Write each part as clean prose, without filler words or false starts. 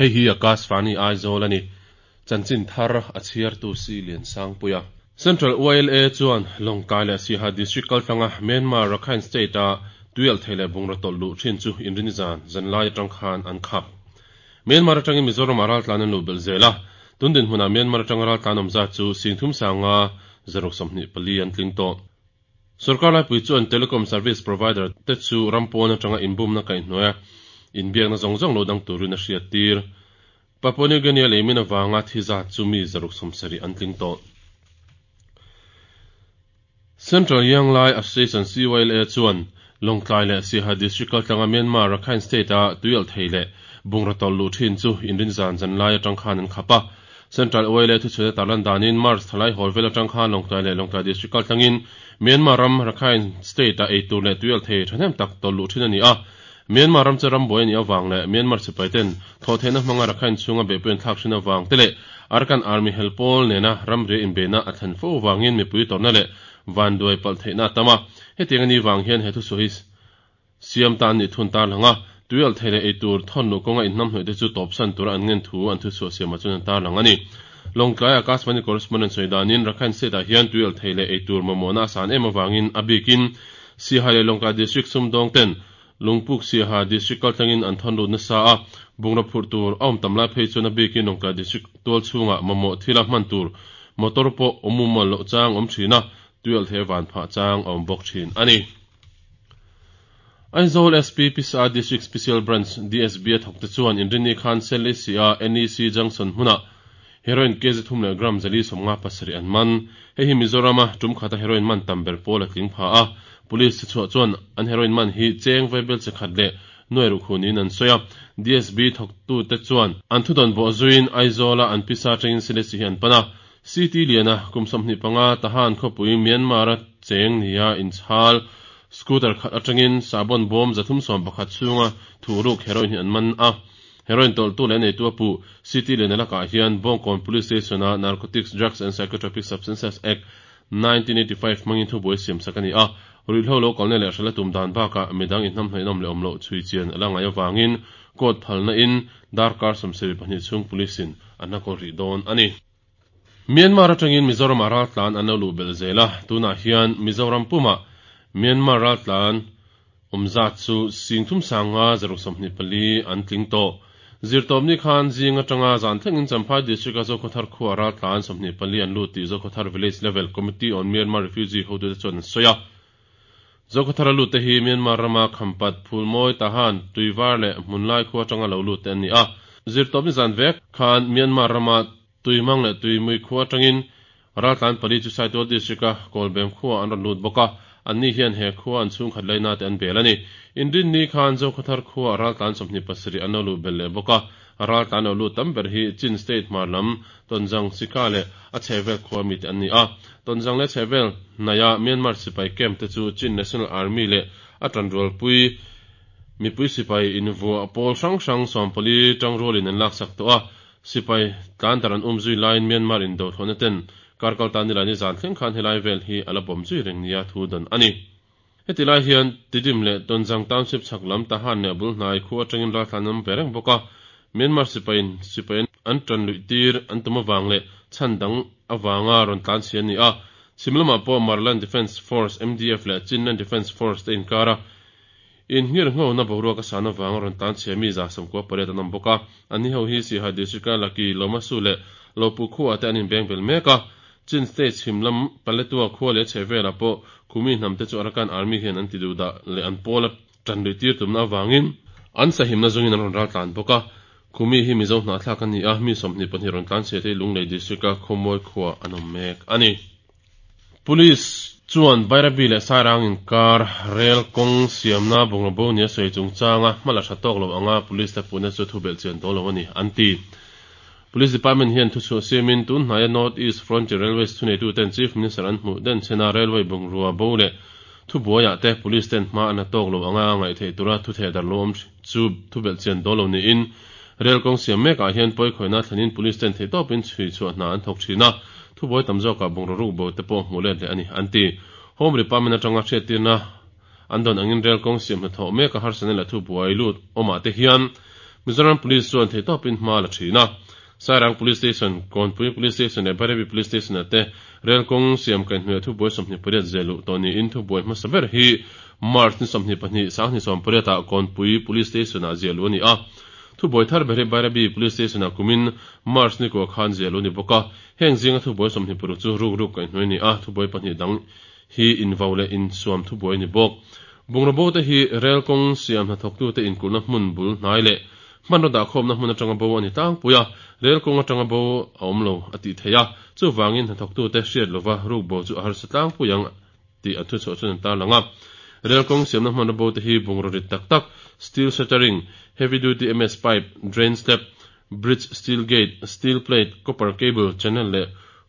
Hei hi Akashvani Aizawl a ni. Chanchin thar a chhiartu Si Liansangpuia. Central YLA chuan Lawngtlai leh Siaha District kaltlanga Myanmar Rakhine State-a tuialhthei leh bungraw tawlh luh thin chu inrini zan zanlai atang khan an khap. Myanmar atangin Mizoramah raltlan an luh belh zel a, tun dinhmunah Myanmar atanga raltlan awm zat chu singthum sanga zaruk 24 an tling tawh. Sorkar laipui chuan telecom service provider te chu ram pawn atanga inbumna kaihhnuaia inbiakna zawng zawng lo dang turin a hriattir. Papua New Guinea leimin avanga thi zat chu mi 170 an tling tawh. Central Young Lai Association, CYLA, chuan Lawngtlai leh Siaha District kaltlanga Myanmar Rakhine State-a tuialhthei leh bungraw tawlh luh thin chu inrin zan zanlai atang khan an khap a. Central YLA thuchhuina tarlan danin March thalai hawl vel atang khan Lawngtlai leh Lawngtlai District kaltlangin Myanmar ram Rakhine State-a eitur leh tuialhthei thahnem tak tawlh luh thin a ni a. Myanmar ram chu ram buai a nih avang leh Myanmar sipai ten thawhtheihna hmanga Rakhine chhunga beihpui an thlak thin avang te leh Arakan Army hel pawl nena ramria inbeihna a thlen fo avangin mipui tawrhna leh vanduai palh theihna a tam a. Hetiang a nih vang hian he thusawi hi siam ta an nih thun tarlang a, tuialh thei leh eitur thawn luh kawnga inhnamhnawih te chu tawpsan tura an ngen thu an thuchhuah siamah chuan an tarlang a ni. Lawngtlai Akashvani Correspondent sawi danin Rakhine State ah hian tuialh thei leh eitur mamawhna a san em avangin a bikin Siaha leh Lawngtlai District sumdawng ten Lungpuk Siaha District kaltlangin an thawn lut nasa a, bungraw phurh tur a awm tam lai phei chuan a bikin Lawngtlai District tual chhungah mamawh thila hman tur motor pawh awm mumal loh chang awm thin a, tuialhthei van phah chang a awm bawk thin a ni. Aizawl SP Pisa District Special Branch, DSB, a thawkte chuan Inrinni khan Selesih-a NEC Junction hmunah Heroin kg thum leh gram 457 an man. Hei hi Mizorama tum khata heroin man tam ber pawl a tling pha a. Police che chhuah chuan an heroin man hi cheng vaibel che khat leh nuai ruh khu niin an sawi a. DSB thawktute chuan an thudawn bawh zuiin Aizawla an pisa atangin Selesih hi an pan a. CT Liana kum 25 Tahan khawpui Myanmar-a cheng nia inchhal scooter khat atangin sahbawn bawm 311 chhunga thuhruk heroin hi an man a. Heroin tawlhtu leh neitu a puh City Liana lakah hian Bawngkawn Police Station-a Narcotics Drugs and Psychotropic Substances Act, 1985 hmangin thubuai siam sak a ni a. Ruihhlo lo kalna leh hralh a tum dan bakah midang inhnamhnawih an awm leh awm loh chhui chian a la ngaih avangin court phalna in darkar 72 chhung police in an la kawl rih dawn a ni. Myanmar atangin Mizoramah raltlan an lo luh belh zel a, tunah hian Mizoram pumah Myanmar raltlan awm zat chu sing thum sanga zaruk 24 an tling tawh. Zirtawpni khan zing atanga zan thlengin Champhai District-a Zokhawthar khuaa raltlan 24 an lut tih Zokhawthar Village Level Committee on Myanmar Refugee hotute chuan an sawi a. Zokhawthara lutte hi Myanmar rama Khampat, Phulmawi, Tahan, Tuivar leh Hmunlai khua atanga lo lutte an ni a. Zirtawpni zan vek khan Myanmar rama Tuimang leh Tuimui khua atangin raltlan pali chu Saitual District-a Kawlbem khuaah an rawn lut bawk a, anni hian he khua an chhungkhat laina te an bel a ni. Inrinni khan Zokhawthar khuaah raltlan 27 an lo luh belh leh bawk a, raltlan lo lut tam ber hi Chin State hmar lam Tonzang, Sika leh a chhehvel khua mite an ni a. Tonzang leh chhehvel hnaia Myanmar sipai camp te chu Chin National Army leh a tanrualpui mipui sipai invuah pawl hrang hrang 14 tangrualin an laksak tawh a. Sipai tlan dar an um zui laiin Myanmar indo thlawhna ten kar kal ta nilai ni zan thleng khan helai vel hi a la bawm zui reng nia thu dan a ni. Heti lai hian Tidim leh Tonzang Township chhak lam Tahan leh a bul hnai khu atangin raltlan an awm ve reng bawk a, Myanmar sipaiin sipai an tan luih tir an tum avang leh chhan dang avanga rawn tlan chhi an ni a. Chhim lamah pawh Maraland Defence Force, MDF, leh Chinland Defence Force te inkar a Inhngir nghona boruak a san avanga rawn tlan chhia mi 98 an awm bawk a, anni ho hi Siaha District-a Laki, Lomasu leh Lopu khuaah te an inbeng bel mek a. Chin State chhim lam Paletua khua leh chhehvelah pawh Khumi hnamte chu Arakan Army hian an ti duh dah leh an pawl a tan luih tir tumna avangin an sahimna zungin an rawn ral tlan bawk a. Khumi hi Mizo hnahthlak a ni a, mi 22 rawn tlan chhia te hi Lunglei District-a Khawmawi khuaah an awm mek a ni. Police chuan Bairabi leh Sairang inkar rel kawng siamna bungraw bo nia sawi chungchanga hma la tha tawk lo anga police te puhna chu thu belh chian dawn lo a ni, an ti. Police Department hian thuchhuah siamin tun hnaia North East Frontier Railways thuneituten Chief Minister an hmuh den chhena railway bungrua bo leh thubuaiah te police ten hma an la tawk lo anga ngaih theih tura thu theh dar lo awm chu thu belh chian dawn lo niin Rel kawng siam mekah hian pawikhawihna thlenin police ten theihtawpin chhui chhuah hna an thawk thin a, thubuai tam zawkah bungraw ruk bo te pawh hmuh let leh a ni, an ti. Home Department atanga hriattirna an dawn angin rel kawng siam hnathawh meka harsatna leh thubuai lut awmah te hian Mizoram Police chuan theihtawpin hma a la thin a. Sairang Police Station, Kawnpui Police Station leh Bairabi Police Station-ah te rel kawng siam kaihhnuaia thubuai 28 zeh luh tawh niin thubuai hmasa ber hi March ni 22, 2018 ah Kawnpui Police Station-ah ziah luh a ni a. Thubuai thar ber hi Bairabi Police Station-ah kumin March ni kua khan ziah luh a ni bawk a. Heng zinga thubuai 26 chu rukruk kaihhnuai a ni a, thubuai pahnih dang hi invau leh insuam thubuai a ni bawk. Bungraw bo te hi rel kawng siam hnathawktute inkulhna hmun bul hnai leh hmanraw dahkhawmna hmun atanga bo a ni tlangpui a, rel kawng atanga bo a awm lo a tih theih a, chuvangin hnathawktute hriat lova ruk bo chu a harsa tlangpui ang tih an thuchhuah chuan an tarlang a. Rel kawng siamna hmanraw bo te hi bungraw rit tak tak, steel shuttering, heavy duty MS pipe, drain slab, bridge steel gate, steel plate, copper cable, channel leh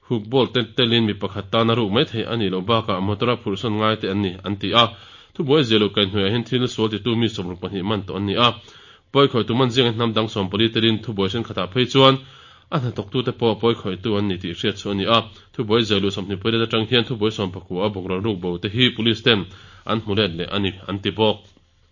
hook bolt te telin mi pakhat tana ruk mai theih a nih loh bakah motor-a phurhsawn ngai te an ni, an ti a. Thubuai zia loh kaihhnuaiah hian thil sual titu mi 62 man tawh an ni a. Pawikhawihtu man zinga hnam dang 14 telin thubuai thenkhatah phei chuan a hnathawktute pawh pawikhawihtu an ni tih hriat chu a ni a. Thubuai zia luh 28 atang hian thubuai 19 a bungraw ruk bo te hi police ten an hmu let leh a ni, an ti bawk.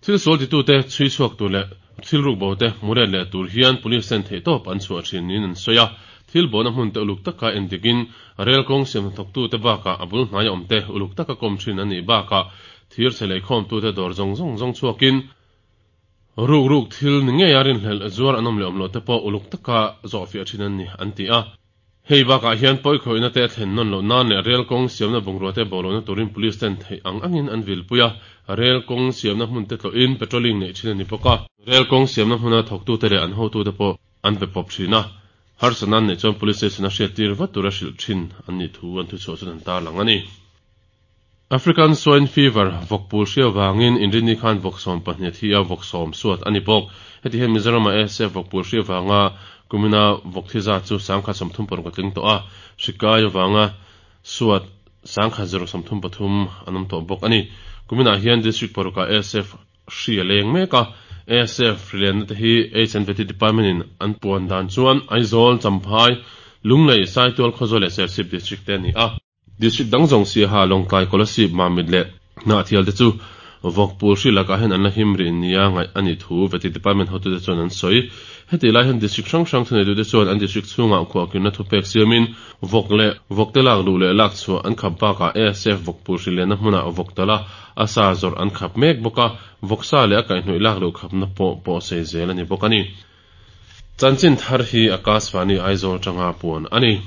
Thil sual titute chhui chhuak tur leh thil ruk bo te hmu let leh tur hian police ten theihtawp an chhuah thin niin an sawi a. Thil bona hmun te uluk taka endikin rel kawng siam hnathawktute bakah a bul hnaia awm te uluk taka kawm thin an nih bakah thir chhe leikhawmtute dawr zawng zawng zawng chhuakin ruk ruk thil ni ngeia rinhlelh zuar an awm leh awm loh te pawh uluk taka zawhfiah thin an ni, an ti a. Hei bakah hian pawikhawihna te a thlen nawn loh nan leh rel kawng siamna bungrua te bo lohna turin police ten theih ang angin an vilpui a, rel kawng siamna hmun te tlawhin patrolling neih thin a ni bawk a. Rel kawng siamna hmuna thawktute leh an hotute pawh an pe pawp thin a, harsatna an neih chuan police station a hriattir vat tura hrilh thin an nih thu an thuchhuah chuan an tarlang a ni. African Swine Fever, vawkpul hria vangin Inrinni khan vawk 12 a thi a, vawk sawm suat a ni bawk. Heti hian Mizoram-ah ASF vawkpul hria vanga kumina vawk thi zat chu 1036 a tling tawh a, hri kai avanga suat 1033 an awm tawh bawk a ni. Kuminah hian District parukah ASF hri a leng mek a, ASF hrilenna te hi HNVT Department in an puan dan chuan Aizawl, Champhai, Lunglei, Saitual, Khawzawl leh Serchhip District te a ni a. District dang zawng Siaha, Lawngtlai, Kolasib, Mamit leh Hnahthial te chu vawkpul hri lakah hian an la him rih nia ngaih a nih thu Vety Department hotute chuan an sawi. Hetih lai hian District hrang hrang thuneitute chuan an District chhungah khuahkirna thupek siamin vawk leh vawkte lak luh leh lak chhuah an khap bakah ASF vawkpul hri lenna hmunah vawk tala a sa zawrh an khap mek bawk a, vawksa leh a kaihhnawih lak luh khapna pawh pawhsei zel a ni bawk a ni. Chanchin thar hi Akashvani Aizawl atanga puan a ni.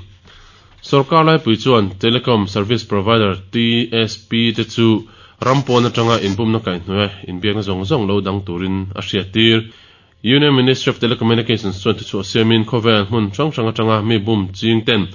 Sorkar laipui chuan Telecom Service Provider, TSP, te chu ram pawn atanga inbumna kaihhnawih a inbiakna zawng zawng lo dang turin a hriattir. Union Ministry of Telecommunications chuan thuchhuah siamin khawvel hmun hrang hrang atanga mi bum ching ten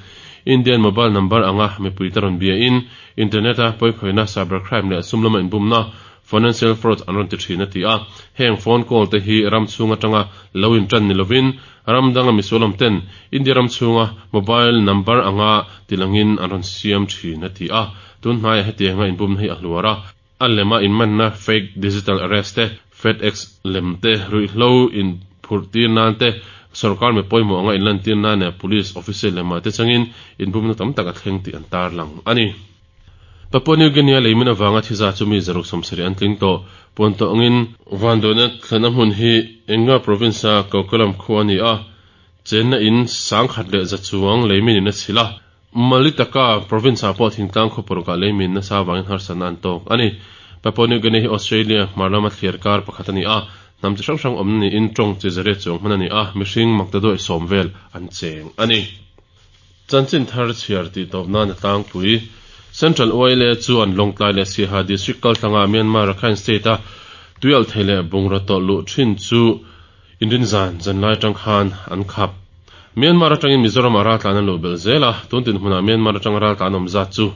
Indian mobile number anga mipuite rawn biain internet-a pawikhawihna, cybercrime leh sum lama inbumna Financial fraud an rawn ti thin a ti a, heng phone call te hi ram chhung atanga lo in tan ni lovin ram danga misual awm ten India ram chhunga mobile number anga tilangin an rawn siam thin a ti a, tun hnaiah hetianga inbumna hi a hluar a, a lema inmanna fake digital arrest te, FedEx lem te, ruihhlo in phurh tir nan te, sorkar mi pawimawh anga inlantir nan leh police officer lemah te changin inbumna tam tak a thleng tih an tarlang a ni. Papua New Guinea leimin avanga thi zat chu mi 170 an tling tawh. Puan tawh angin vanduaina thlenna hmun hi Enga province-a Kokolam khua a ni a, chenna in 1100 chuang leimin in a chhilh a. Malitaka province-ah pawh thingtlang khaw parukah leimin nasa avangin harsatna an tawk a ni. Papua New Guinea hi Australia hmar lama thliar kar pakhat a ni a, hnam chi hrang hrang awmna niin tawng chi zariat chuang hman a ni a, mihring maktaduai sawm vel an cheng a ni. Chanchin thar chhiar tih tawp nan a tlangpui. Central YLA chuan Lawngtlai leh Siaha District kaltlanga Myanmar Rakhine State-a tuialhthei leh bungraw tawlh luh thin chu inrinzan zanlai atang khan an khap. Myanmar atangin Mizoram-ah raltlan an luh belh zel a, tun dinhmunah Myanmar atanga raltlan awm zat chu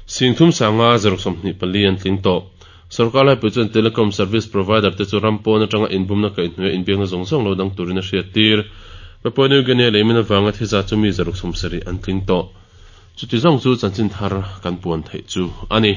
3524 an tling tawh. Sorkar laipui chuan Telecom Service Provider te chu ram pawn atanga inbumna kaihhnuaia inbiakna zawng zawng lo dang turin a hriattir. Papua New Guinea leimin avanga thi zat chu mi 170 an tling tawh. Chuti zawng chu chanchin thar kan puan theih chu a ni.